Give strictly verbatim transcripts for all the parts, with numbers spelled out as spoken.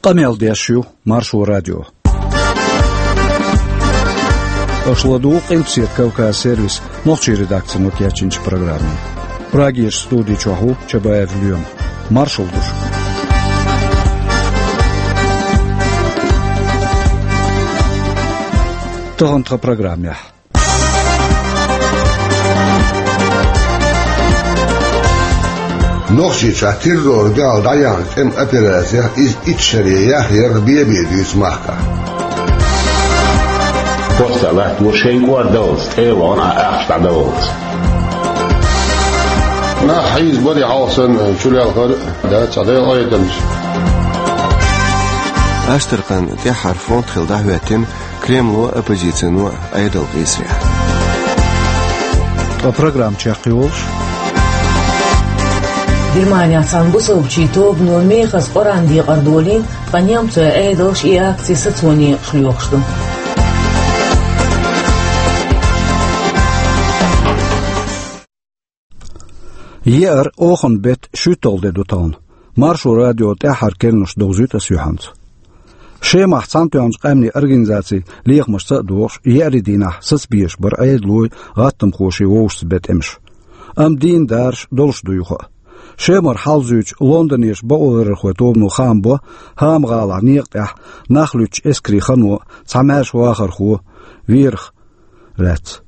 Къамел деш ю Маршо радио. Аша ладугӀу Къилбаседа Кавказ сервисан нохчийн редакцино кечйинчу программе. Прагерчу студи чохь ву Чабаев Лоьма. Маршалла ду шуьга. Тахана тхан программехь. Нохчийчохь террорна дуьхьал дӀаяьхьна тӀеман операцех иза итт шаре яхъярх бен-бен дуьйцу махкахь. Постта латтаво шайн кӀордаллалц, тӀе а вахана ахча дӀадаллалц. Нах хьийзабо, хьалха санна чулелхар а дац цхьа Делан Ӏедалца. Аштаркхан тӀаьххьара фронт хилла дӀахӀоьттина Кремло а, оппозицино а Ӏедал къийсарехь. Ткъа программа чекхйолуш. Германехь цхьана бусалбачийн тобано мехаза Къуръан декъар долийна, ткъа немцойн Ӏедалша и акци сацо некъаш лоьхуш ду. Еара, оханан беттан шуьйтталгӀа де ду тахана. Маршо радион тӀаьххьара керланаш довзуьйту аса юьхьанца. Шемахь Цхьаьнатоьхначу Къаьмнийн Организацин лехамашца а догӀуш, еарин дийнахь сацабезаш бара Ӏедалойн, гӀаттамхошийн вовшашца бен тӀемаш. Амма дийнан дараш долуш ду юха а. Шемара хьалха зуьйчу лондонерчу бакъоларъярхойн тобано хаам бо ХӀама-гӀалахь некъа тӀехь нах луьттучу эскарийн хано, цхьа маьрша вахархо верах лаьцна.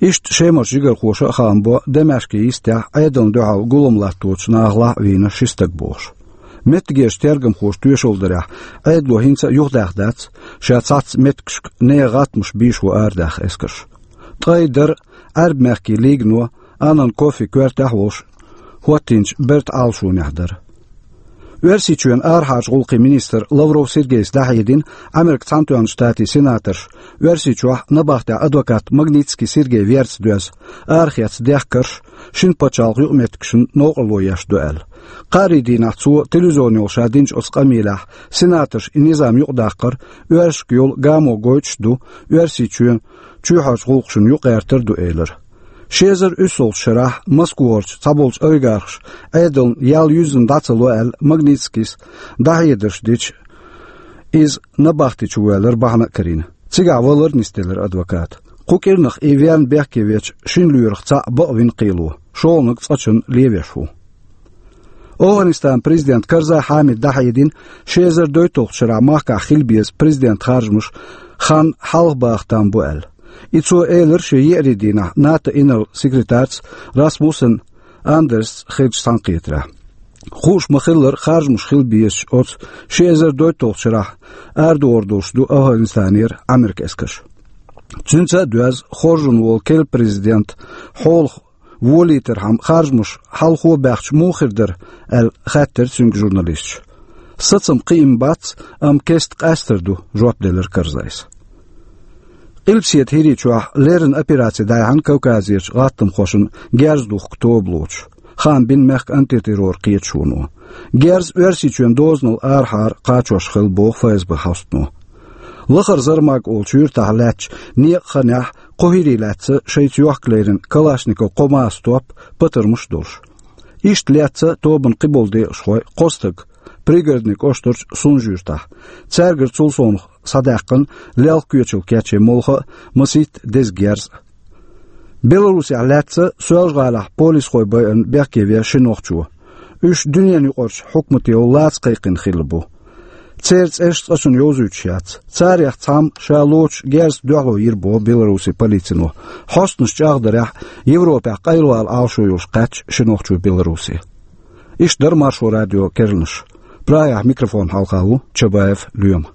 Иштта Шемарчу жигархоша а хаам бо Дамаскин йистехь Ӏедална дуьхьал гулам латточу нахалахь а вийна ши стаг бохуш. Меттигерчу тергамхоша тоьшалла дарехь, Ӏедало хӀинца а юхадаьхна дац, ша цхьацца меттигашка нехан гӀаттамаш бийшаво арадаьхна эскарш. Ткъе дарра Ӏаьрбийн мехкийн лигано, Анан Кофи коьртехь а волуш, хӀоттийначу бертан Ӏалашонехь дара. Оьрсийчоьнан арахьарчу гӀуллакхийн министр Лавров Сергейс дӀахьедина Америкин Цхьаьнатоьхначу Штатийн сенаторша Оьрсийчохь набахтехь адвокат Магнитский Сергей верца доьзна арахецна дехкарш шина пачхьалкхан юкъаметтигашна новкъарло еш ду аьлла. Кхаарин дийнахь цо телевизионехула ша динчу оцу къамелехь, сенаторша и низам юкъадаккхар оьрсашка йолу гамо гойтуш а ду, Оьрсийчоьнан чоьхьарчу гӀуллакхашна юкъагӀертар а ду, элира. Ши эзар уьссалгӀачу шарахь Москварчу цхьаболчу олигархаша Ӏедална ял юьззина дӀа ца ло аьлла, Магнитскийс дӀахьедарш дича, иза набахти чу воьллар бахьана а карийна. Цигахь валар а нисделира адвоката. Кху кӀирнах и верна бехке вечу шина лоьрах цхьаъ бакъвина кхело, шолгӀаниг цкъачунна лен веш ву. ОвхӀанистанан президента Карзай Хьамида дӀахьедина, ши эзар дейтталгӀачу шарахь махкахь хила беза президентан харжамаш хан хьалхабаха там бу аьлла. И цо элира шен еарин дийнахь НАТО инарла секретарца Расмуссен Андерсца хиллачу цхьаьнакхетарехь. Хууш ма-хиллара, харжамаш хила безачу оцу ши эзар дейтталгӀачу шарахь арадохур долуш ду ОвхӀанистанера Ӏамеркан эскарш. Цуьнца а доьзна, хоржун волу керла президент хьолах волийтархьама харжамаш хьалхо а баьхча муха хир дара аьлла, хаьттира цуьнга журналисташа. Сацам кхиам бац, амма кеста къаьстар ду, жоп делира Карзайс. Къилбаседа ХӀирийчохь леррина операци дӀаяьхьна Кавказерчу гӀаттамхошна герз духку тоба лоцуш, хаам бина мехкан антитеррор кхеташоно. Герз Оьрсийчоьнан дозанал арахьара кхачош хилла боху ФСБ хьостано. Лахара Зармаг олучу юьртахь лаьттачу некъан ханехь кхо хӀирий лаьцна шайца йохка лерина Калашников кхо масса топ, патармаш а долуш. Иштта лаьцна тобанан кхиболу декъашхой кхо стаг Пригородни кӀоштарчу Сунжа-Юьртахь. Цаьргара цул совнаха схьадаьккхина лелха коьчал кечъян молха а, масийтта деза герз а. Беларусехь лаьцна Соьлжа-ГӀалахь полисхой байарна бехке вен ши нохчо. Уьш дуьненаюкъарчу хьукматех лаца кхайкхина хилла бу. Церан цӀераш цкъачунна йовзуьйтуш яц. Царех цхьамма ша лоцуш герзаца дуьхьало йира боху Беларусин полицино. Хьостанаш чӀагӀдарехь, Европехь къайлавала Ӏалашо йолуш кхаьчна ши нохчо Беларусе. Иштта дара Маршо радион керланаш. Прагехь микрофон хьалха ву Чабаев Лоьма.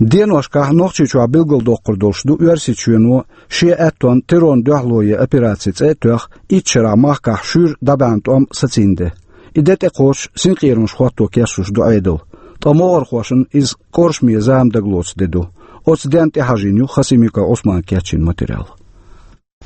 Деношкахь Нохчийчохь билгалдоккхур долуш ду Оьрсийчоьно шен аьттонна террорна дуьхьало ен операци цӀе а тоьхна, итт шарахь махкахь шуьйра дӀабаьхьна тӀом сацийна де. И де тӀекхочуш синкъерамаш хӀотто кечлуш ду Ӏедал. Ткъа могӀархошна иза кӀоршаме зама дагалоцу де ду. Оцу денна тӀехьажийна ю Хасимиков Ӏусмана кечйина материал.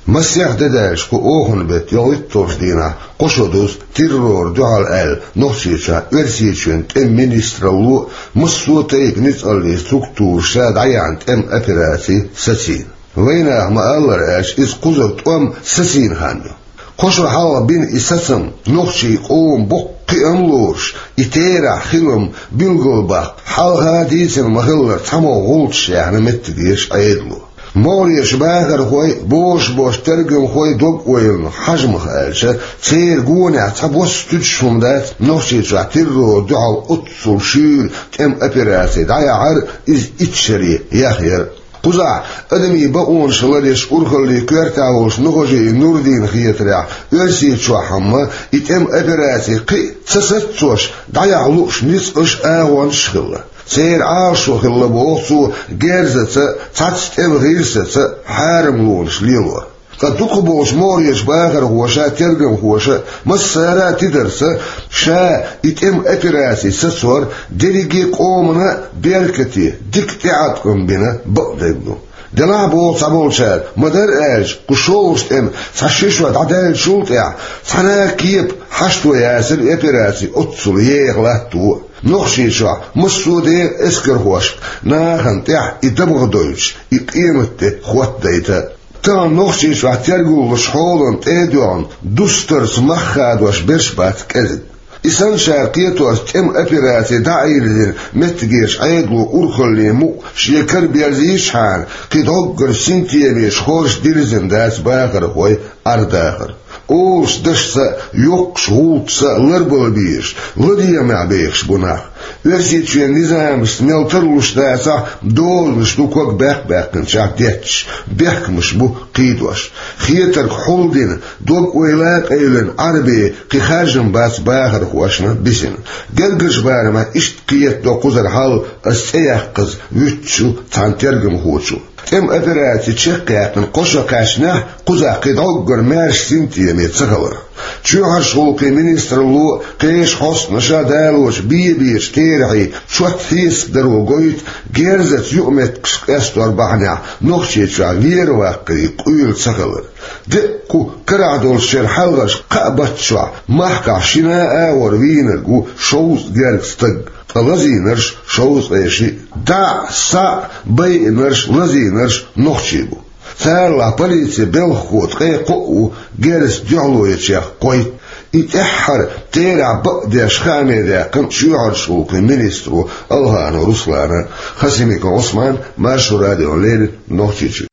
Масех де даьлча кху оханан беттан ялхитталгӀачу дийнахь кхо шо дузу террорна дуьхьал аьлла Нохчийчохь Оьрсийчоьнан тӀеман министралло а, массо а тайпа ницкъаллийн структураша дӀаяьхьна тӀеман операци сацийна. Вайнаха ма-аллара аьлча, иза кхузара тӀом сацийна хан ю. Кхо шо хьалха бина и сацам, нохчийн къоман боккха кхиам лоруш, и терахь хилам билгалбаккха, хьалха дийцина ма-хиллара, цхьамогӀа гӀулчаш яьхна меттигерчу Ӏедало. МогӀарерчу бахархойн, бозуш болчу тергамхойн дог-ойланах хьажамах аьлча, церан гонехь цхьабосса туьдуш хӀума дац Нохчийчохь террорна дуьхьал оццул шуьйра тӀеман операци дӀаяхьар а, иза итт шаре яхъяр а. Кхузахь адамийн бакъонаш ларъеш урхаллин коьртехь волчу Нухажиев Нурдинна хетарехь, Оьрсийчохь-м и тӀеман операци кхин а ца сацош дӀаяхьа лууш ницкъаш а, агӀонаш а хилла. Церан Ӏалашо хилла, боху цо, герзаца а, цхьацца тӀеман гӀирсаца а хьарамлонаш лелор. Ткъа дукхахболчу могӀарерчу бахархоша а, тергамхоша а, массара а тидарца, ша и тӀеман операци сацор дерриге а къомана а беркате дика тӀеӀаткъам бина бакъдерг ду. Делахь, боху цхьаболчара, ма-дарра аьлча, кху шолгӀачу тӀеман цхьа ши шо дӀадаьллачул тӀаьхьа цхьана а кепа хьашто яцара и операци оццул еха латто а. Нохчийчохь массо а декъан эскархошка нахана тӀехь и дабагӀа дойтуш, и къематде хӀоттадайта а. Тахана Нохчийчохь тергал лучу хьолан тӀе а доьгӀна, дустарца мах хадош берш бац кӀезиг. И санначара кхетош, тӀеман операци дӀа а йирзина, меттигерчу Ӏедало урхаллин мукъ шен кара берзийчхьана, кхин дӀоггара синтемаш хорша дирзина дац бахархойн Ӏер-дахар. Олуш дашца а, йоккхачу гӀуллакхца а ларбала безаш, ладегӀамехь бехаш бу нах. Оьрсийчоьнан низамашца мел тарлуш дацахь а, дозанаш ду ког баьккхина-баьккхинчохь детташ, бехкамаш бу кхийдош. Хетарг хьулдина, дог-ойла а къевлина Ӏарбийн кхин харжам бац бахархошна бисина. Гергарчу барамехь иштта кхетадо кхузара хьал, ас цӀе яккхаза вуьттучу цхьана тергамхочо. ТӀеман операци чекхъяьккхина кхо шо кхаьчнехь, кхузахь кхин дӀоггара маьрша синтеме ца хиларх. Чоьхьарчу гӀуллакхийн министралло а, кхечу хьостанаша а далочу бен-бечу терахьийн чот хьесап даро гойту герзаца юкъаметтигаш къестор бахьанехь Нохчийчохь вер-ваккхарийн къуьйла ца хилар. Деккъа кху карахь долчу шеран хьалхарчу кхаа баттахь махкахь шина а агӀор вийнарг ву шовзткъа гергга стаг, ткъа лазийнарш шовзткъе шиъ, дӀа а, схьа а байинарш, лазийнарш нохчий бу. Царалахь полицин белхахо ткъе кхоъ ву герзаца дуьхьало ечех кхойтта. И тӀаьххьара терахь бакъдеш хааме даьккхина чоьхьарчу гӀуллакхийн министро Алханов Руслана. Хасимиков Ӏусман, Маршо радиона леррина, Нохчийчуьра.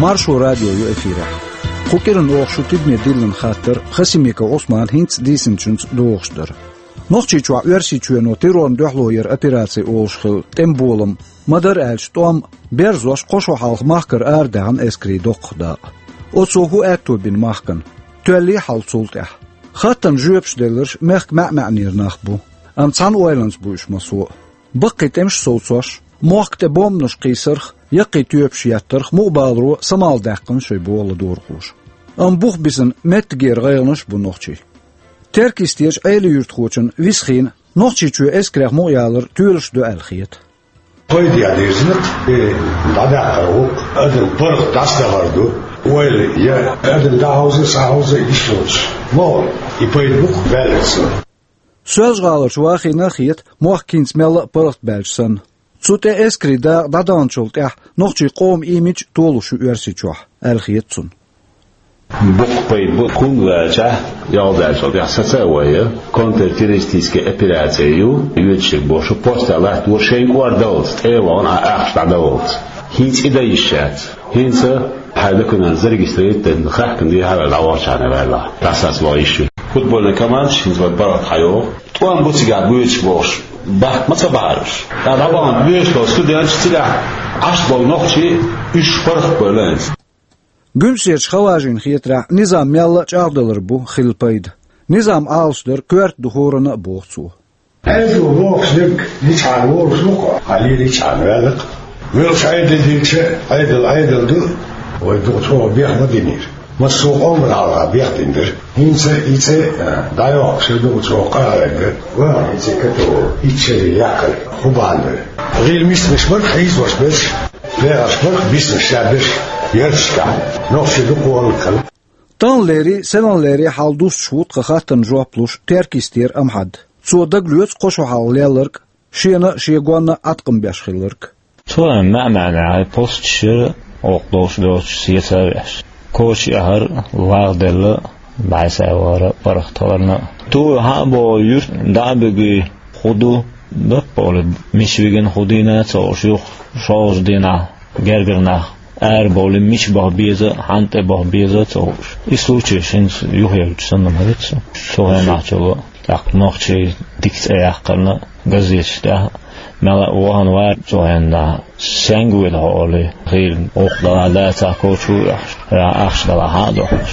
Маршо радио ю эфирехь. Кху кӀиран оха шу тидаме диллина хаттар Хасимиков Ӏусмана хӀинца дийцинчуьнца догӀуш дара. Нохчийчохь Оьрсийчоьно террорна дуьхьало яр операци олуш хилла тӀеман болам, ма-дарра аьлча, тӀом берзош кхо шо хьалха махкара арадаьхьна эскарийн доккхах дакъа. Оцо хӀун аьтто бина махкана? Тоьллий хьал цул тӀаьхьа? Хаттарна жоьпаш делларш мехкан маьӀ-маьӀнера нах бу, амма цхьана ойланца бу уьш массо а. Баккхий тӀемаш совцош, мохк тӀе бомбанаш кхийсарх, яккхий тоьпаш еттарх мукъабаларо самаладаьккхина шайн боху ладогӀархоша. Амма бух бисина меттигера гӀайгӀанаш а бу нохчийн. Теркйистерчу Ӏелин юьртахочунна Висхина Нохчийчоь эскарех мукъаялар тоьлуш ду аьлла хета. Пайда ян дирзина, и дӀадаккхар ву, адам паргӀат дӀасадахар ду, ойла я адам дӀахьовза, схьахьовза йиш йолуш. МогӀу и пайда бу-кх баьлларца. Соьлжа-ГӀаларчу Вахина а хета, мохк хӀинца мелла а паргӀатбаьлча санна. Цу тӀе эскарийн дакъа дӀадаханчул тӀаьхьа нохчийн къоман имидж толуш ю Оьрсийчохь, аьлла хета цунна. Боккха пайда бу, хӀунда аьлча, ялх даьллачул тӀаьхьа саца а вай, контртеррористическая операция ю, йоьдуш ерг бохуш, постехь латтаво шайна кӀордаллалц, тӀе а вахана, Ӏа ахча дӀадаллалц. ХӀинца и дан йиш яц. ХӀинца хьайн документ зарегистрировать дина, хаьхкина дехьа а ваьлла, дӀавахчахьана ваьлла, дӀасаца ваха йиш ю. Футбольный командаш хӀинца вайн паргӀат хьайогӀу. ТӀом бу цигахь боьдуш бохуш, бахка ма ца бахьара уьш. ТӀаккха дӀабахана боьдуш болу студенташ, цигахь Ӏаш болу нохчий, уьш паргӀат бевлла хӀинца. Гуьмсерчу Хаважина хетарехь, низам мелла а чӀагӀдалар бу хилла пайда. Низам Ӏалашдар коьрта ду хӀоранна а, боху цо. Ӏедало бохуш дерг йичхьана волуш ву-кх, хьан лелийчхьана ваьлла-кх. Воьлхуш Ӏедал динча, Ӏедал Ӏедал ду, вай дукха чӀогӀа бех ма динера. Массо а къоман хьалха бех дина дара. ХӀинца и цӀе а дӀайоккхуш ю дукха чӀогӀа къахьега. Ваха и цӀе католу, итт шаре яккхар хӀун бахьана дара? ГӀийла миснаш бара-кх хьийзош берш, бехаш бара-кх биснаш ша берш ярташкахь. Нохчий дукха валлалц хилла. Тахналерий, сенналерий хьал дустуш ву тхан хаттарна жоп луш Теркйистера Амхьад. Цо дагалоьцу кхо шо хьалха лелларг, шена а, шен гонна а Ӏаткъам беш хилларг. Цо маьӀ-маьӀӀехь посташ яра, оха долуш доцуш сецавеш. Коча яхьара, вагӀа делла, бӀаьсавара, паргӀатхиларна. Туй хьан а боху юьртна дӀа а буьгий, хӀун ду, баппа олий, мича вигина хӀун дийна а ца хууш, юха шолгӀачу дийнахь гергара нах ара бовлий, мича баха беза, хьанна тӀе баха беза а ца хууш. И случай хӀинца юхаевлча санна ма вац со. Цу хенахь чуло, тӀаккха нохчий дика цӀе яьккхина газеташ тӀехь, мел а вахана вара цу хенахь, сенга вуьйлу хьо олий, хийла гӀуллакх далахь дацахь коча ву аьлла, ахча далахь хьан а дохуш.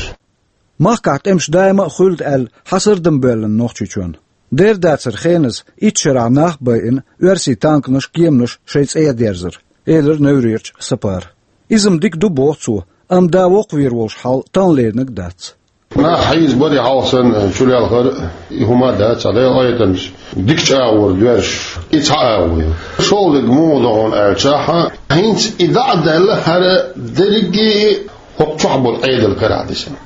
Махкахь тӀемаш даима а хуьлда аьлла, хьан сардам боьллина Нохчийчоьнна? Дера дацара хеназа итт шарахь нах а байина, оьрсийн танканаш, кеманаш шайн цӀера дерзар, элира Неврерчу Сапара. Иза-м дика ду, боху цо, амма да воккхавер волуш хьал тахана леринарг дац. Нах хьийзабар и хьалха санна чулелхар, и хӀума а дац, цхьа Делан къинхетамца дика чӀагӀо доьрзуш, и цхьа агӀо ю. ШолгӀаниг муха ду хьуна аьлча, хьан хӀинца и дӀа а даьлла, хӀара дерриге а хӀокху чохь болу Ӏедал карахь дисина.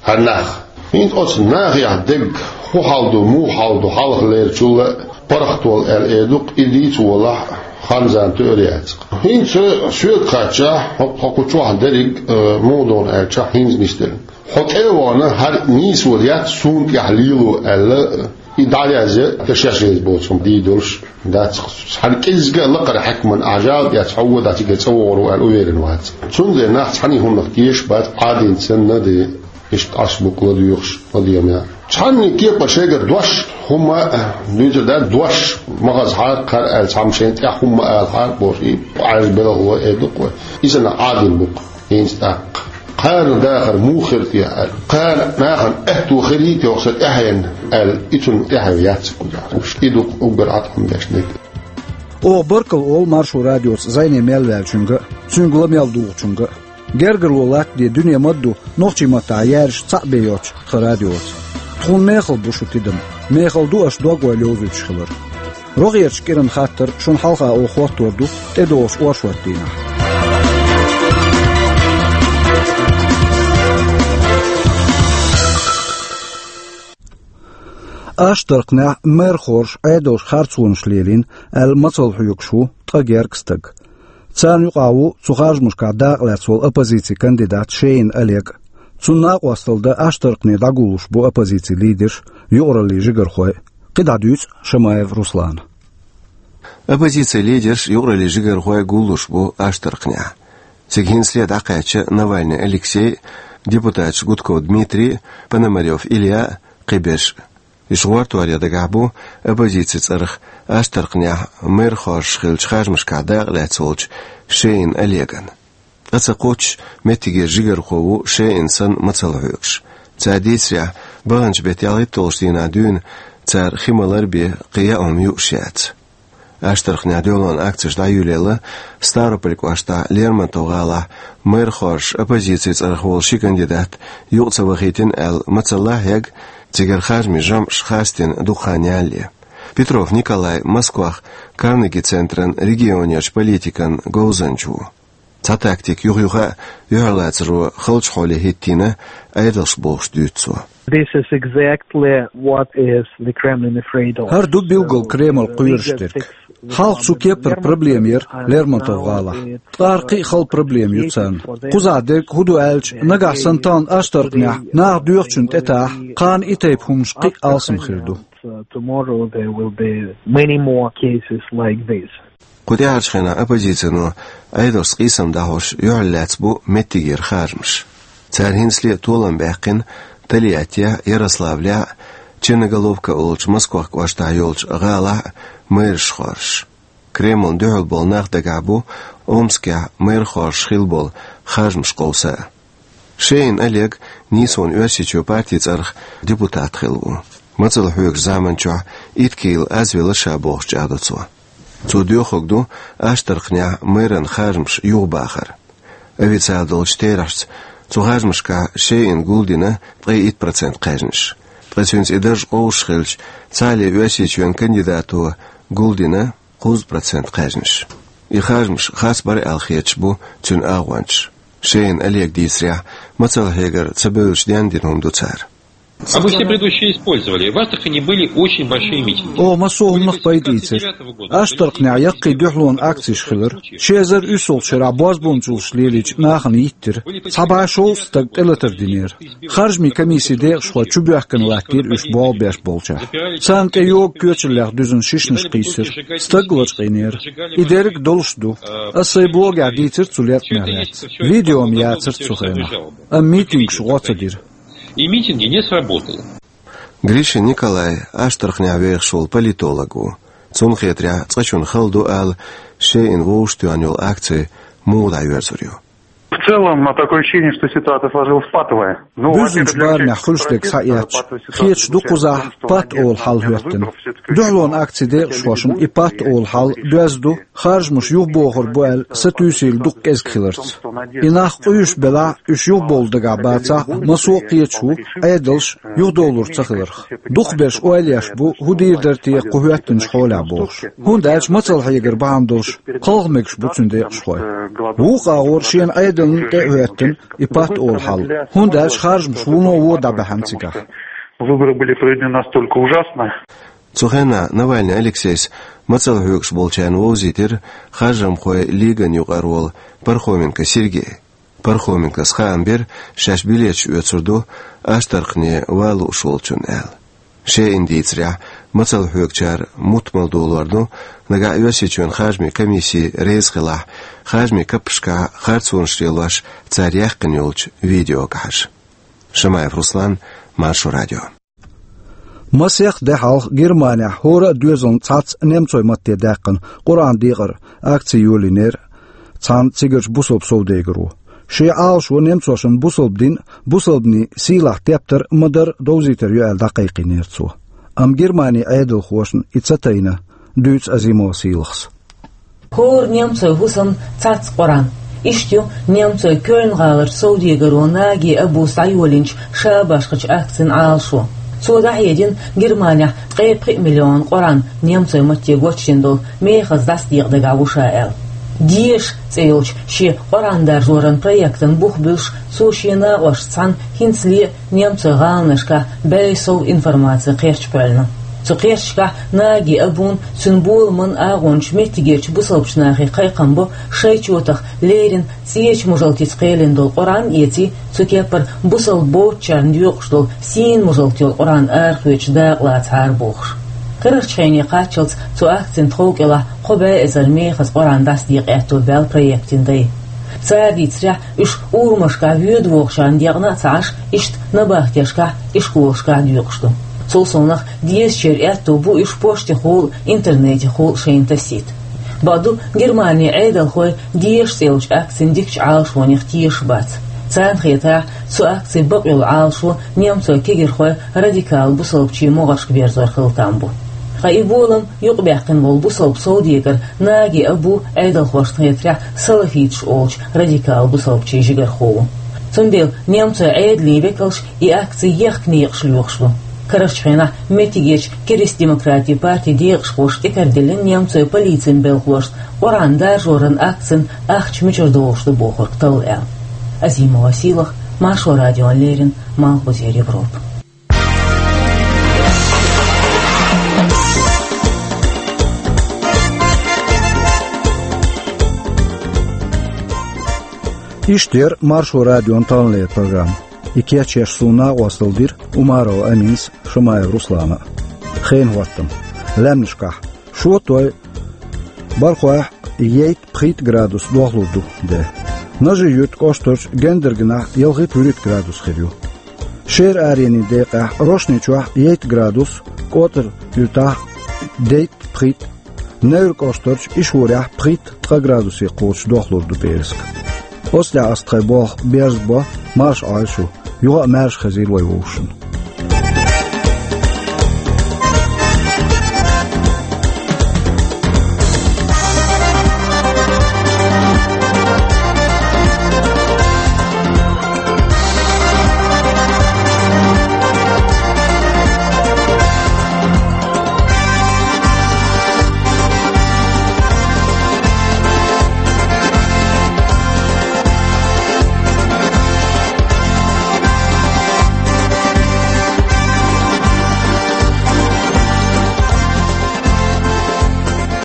ХӀара нах. ХӀинца оцу нахехь дерг хӀун хьал ду, муха хьал ду, хьалхалерчул а паргӀат волу аьлла эр ду-кх, и дийца волахь, хан-зама тоьар яц-кх. ХӀинца соьга хаьттича, хӀокху чохь дерриг а, муха ду хьуна аьлча, хӀинца нисделла. Хьо тӀе а вахана, хӀара нийсо яц суна тӀехь лело аьлла, и дӀаязъян, ткъа шаьш реза боцург дийр долуш дац-кх. Цхьана кӀеззиг а лакхара хьаькамна ахь жал а эцна, хьо вон дӀа цигара цӀа вогӀур ву аьлла уверен вац. Цундела нах цхьана а хӀуманах тешаш бац, Ӏадийна санна а де, иштта Ӏаш букъ ладоьгӀуш, ладегӀа меа. Цхьанна кепара шегара дош хӀума а дуьйцур дац, дош ма хазахьара кхара аьлла, цхьамма шайна тӀехь хӀума ма алахьара бохуш, и Ӏаьржа белхало эр ду-кх вай. Иза-м Ӏадийна бу-кх хӀинца тӀаккха. Кхарна дахар муха хир те аьлла, кхарна нахана аьтто хирий те оха сан тӀаьхьенна аьлла, и цунна тӀаьхье яц кхузахь. И ду-кх уггар Ӏатам беш дерг. Оха баркалла олу Маршо радиоца зӀене мел ваьллачуьнга а, цуьнга ла мел дугӀучуьнга а. Гергарло латтаде дуьне ма-дду нохчийн маттахь яьржаш цхьаъ бен йоцчу тхан радиоца. Тхуна мехала бу шу тидам, мехала ду аша дог-ойла йовзуьйтуш хилар. РогӀерчу кӀиран хаттар шуна хьалха оха хӀоттор ду тӀедогӀучу оршот дийнахь. Аштаркхнехь мэр хорша Ӏедалша харцонаш лелийна аьлла мацалла хьоьгуш ву ткъа гергга стаг. Царна юкъахь ву цу харжамашкахь дакъалаьцна волу оппозицин кандидат Шеин Олег. Цунна накъосталла дан Аштаркхне дӀагуллуш бу оппозицин лидерш, юкъараллин жигархой. КхидӀа дуьйцу Шамаев Руслана. Оппозицин лидерш, юкъараллин жигархой гуллуш бу Аштаркхнехь. Цига хӀинцале дӀакхаьчча Навальный Алексей, депутаташ Гудков Дмитрий, Пономарёв Илья, кхиберш. Уьш гӀортор ян дагахь бу оппозицин цӀарах Аштаркхнехь мэр хорша хиллачу харжамашкахь дакъалаьцна волчу Шеин Олеган. Ткъа ца кхоччуш, меттигера жигархо ву Шеин санна мацалла хьоьгуш. Цара дийцарехь, баханчу беттан ялхитталгӀачу дийнахь дуьйна цара хи ма-ларра бен кхин яа хӀума юуш яц. Аштаркхнехь дуьхьалонан акцеш дӀайоьллина Ставрополь кӀоштахь Лермонтов-гӀалахь мэр хорша оппозицин цӀарах волу ши кандидат юкъа ца вахийтина аьлла мацалла хьегна, цигара харжамийн жамӀаш хастийна дукха хан ялале. Петров Николай Москвахь Карнеги-центран регионерчу политикан говзанча ву. Цхьа тактика юха-юха а юьхьарлацаро халчу хьоле хӀиттийна Ӏедалш бохуш дуьйцу цо. This is exactly what is the Kremlin afraid of. ХӀара ду билггал Кремль кхоьруш дерг. Хьалха цу кеппара проблема яра Лермонтов-гӀалахь. Ткъа кхин а хала проблема ю царна. Кхузахь дерг хӀун ду аьлча, нагахь санна тахана Аштаркхнехь наха доьхучунна тӀетахь, кхана и тайпа хӀуманаш кхин а алсам хир ду. Tomorrow there will be many more cases like this. Кху тӀаьхьарчу хенахь оппозицино Ӏедалшца къийсам дӀахьош юьхьарлаьцна бу меттигера харжамаш. Цара хӀинцале а толам баьккхина Тольяттехь, Ярославлехь, Черноголовка олучу Москох кӀоштахь йолчу гӀалахь а мэраш хоржуш. Кремлна дуьхьал болу нах дагахь бу Омскехь мэр хоржуш хилла болу харжамаш къовса а. Шеин Олег нийсонан Оьрсийчоь партин цӀарах депутат хилла ву. Мацалла хьоьгучу заманчохь итт кийла аз велла ша бохуш чӀагӀдо цо. Цо доьхург ду Аштаркхнехь мэран харжамаш юхабахар. Официалан долчу терахьашца цу харжамашкахь Шеина гулдина ткъе итт процент кхаьжнаш. Ткъа цуьнца и дарж къовсуш хилча, цхьалле Оьрсийчоьнан кандидато гулдина кхузткъа процент кхаьжнаш. И харжамаш харц бара аьлла хеташ бу цуьнан агӀончаш. Шеин Олега дийцарехь, мацалла хьегар ца бевллачу денна дина хӀума ду цара. А мы все предыдущие использовали. В Астрахани были очень большие митинги. Оха массо а хӀуманах пайда ийцира. Аштаркханехь яккхий дуьхьалонан акцеш хилира. Ши эзар уьссалгӀачу шарахь бозбуунчаллаш лелийча нахана йиттира. Цхьа бӀе шовзткъа стаг тӀелатар динера. Харжамийн комиссин декъашхой чубоьхкина латтийра уьш болх беш болчохь. Царна тӀе йогу коьчаллех дуьзна шишанаш кхийсира. Стаг лачкъийнера. И дерриг а долуш ду. Аса сайн блогехь дийцира цу леркъанех лаьцна. Видео-м яцара цу хенахь. Амма митингаш гӀо ца дира. И митинги не сработали. Гришин Николай Аштаркханехь вехаш волу политолог ву. Цунна хетарехь, цкъачунна хала ду ала, шен вовшахтоьхна йолу акци муха дӀайоьрзур ю. В целом, а, такое ощущение, что ситуация сложилась патовая. Ну, буьззинчу барамехь хуьлуш дерг схьаэцча, хеташ ду кхузахь патт олу хьал хӀоьттина. Дуьхьалонан акцин декъашхошна и патт олу хьал доьзна ду, харжамаш юхабохур бу аьлла сатуьйсийла дукха кӀезиг хиларца. И нах къуьйсуш белахь а, уьш юхабовла дагахь бацахь а, массо а кхеташ ву, Ӏедалш юхадовлур ца хиларх. Дукхахберш ойла еш бу, хӀун дийр дара те кху хӀоьттинчу хьолехь бохуш. ХӀунда аьлча мацалла хьегар бахьана долуш кхалха мегаш бу цуьнан декъашхой. Вукху агӀор шена Ӏедална тӀе а хӀоьттина и патт олу хьал, хӀунда аьлча харжамаш вуно вон дӀабаьхьна цигахь. Выборы были проведены настолько ужасно. Цу хенахь Навальный Алексейс мацалла хьоьгуш болчарна вовзийтира харжамхойн лиган юкъара волу Пархоменко Сергей. Пархоменкос хаам бира, шаьш билеташ оьцур ду Аштаркхане ван лууш волчунна аьлла. Шен дийцарехь, мацалла хьоьгучара мутт мала долор ду, нагахь Оьрсийчоьнан харжамийн комисси реза хилахь, харжамийн каппашкахь харцонаш лелош цара яьккхина йолчу видеогахьаш. Шамаев Руслан, Маршо радио. Масех де хьалха Германехь хӀора а доьзална цхьацца немцойн матте даьккхина Къуръан декъар акци йолийнера цхьана цигарчу бусалба совдегаро. Шен Ӏалашо немцошна бусалба дин а, бусалбанийн сийлахь тептар а ма-дарра довзийтар ю аьлла дӀакхайкхийнера цо. Амма Германин Ӏедалхошна и ца тайна, дуьйцу Азимова Сийлахьас. ХӀора немцойн хӀусамна цхьацца Къуръан. Иштта ю немцойн Кёльн-гӀаларчу совдегаро Наги Абус дӀайолийначу ша башхачу акцин Ӏалашо. Цо дӀахьедина Германехь ткъе пхи миллион Къуръан немцойн матте гочдина долу мехаза дӀасадекъа дагахь ву ша аьлла. «Деша» цӀе йолчу шен Къуръан даржоран проектан бух буьллуш, цо шен накъосташца цхьаьна хӀинцале а немцойн гӀаланашкахь бӀе сов информаци кхерч кхоьллина. Цу кхерчашкахь Наги Абун, цуьнан боламан агӀончу меттигерчу бусалбачу нахе кхайкхам бо шайн чотах леррина цӀечу мужалтица кхелина долу Къуръан а эций, цу кеппара бусалба боцучарна доькъуш долу сийна мужалт йолу Къуръан арахоьцуш дакъалацахьара бохуш. Карарчу хене кхаччалц цу акцин тхов кӀелахь кхо бӀе эзар мехаза Къуръан дӀасадекъа аьтто баьлла проектин дай. Цара дийцарехь, уьш урамашкахь воьдувохучарна декъна а ца Ӏаш, иштта набахтешкахь, ишколашкахь доькъуш ду. Цул совнах, дезачеран аьтто бу уьш поштехула а, интернетехула а шайна тасийта. Бакъду, Германин Ӏедалхой «Деша» цӀе йолчу акцин дикачу Ӏалашонех тешаш бац. Царна хетарехь, цу акцин бакъйолу Ӏалашо немцойн кегийрхой радикал бусалбачийн могӀаршка берзор хила там бу. Ткъа и болам юкъабаьккхина волу бусалба совдегар Наги Абу, Ӏедалхошна хетарехь, салафиташ олучу радикал бусалбачийн жигархо ву. Цундела немцойн Ӏедалийн векалш и акци ехка некъаш лоьхуш ду. Карарчу хенахь меттигерчу Керста-демократийн партин декъашхоша тӀекхаьчдина немцойн полицин белхалошна Къуръан даржоран акцин ахча мичара дохуш ду бохург талла аьлла. Азимова Сийлахь, Маршо радиона леррина, Малхбузера Европа. Иштта яра Маршо радион таханлера программа. И кечъеш суна накъосталла дира Умарова Аминас, Шамаев Руслана. Хенан хӀоттам. Лаьмнашкахь шоьтан, бархӀойн яйтта-пхийтта градус дохлур ду де. Нажи-Юьртан кӀоштарчу Гендаргнахь ялхитта-вуьрхӀитта градус хир ю. Шера аренийн декъехь Рошни-Чохь яйтта градус, КӀотӀар-Юьртахь дейтта-пхийтта, Невран кӀоштарчу Ишхорехь пхийтта-ткъа градусе кхочуш дохлур ду пӀераска. Оцу тӀехь ас тхайн болх берзабо, марша Ӏойла шу, юха а маьрша хезийла вай вовшашна.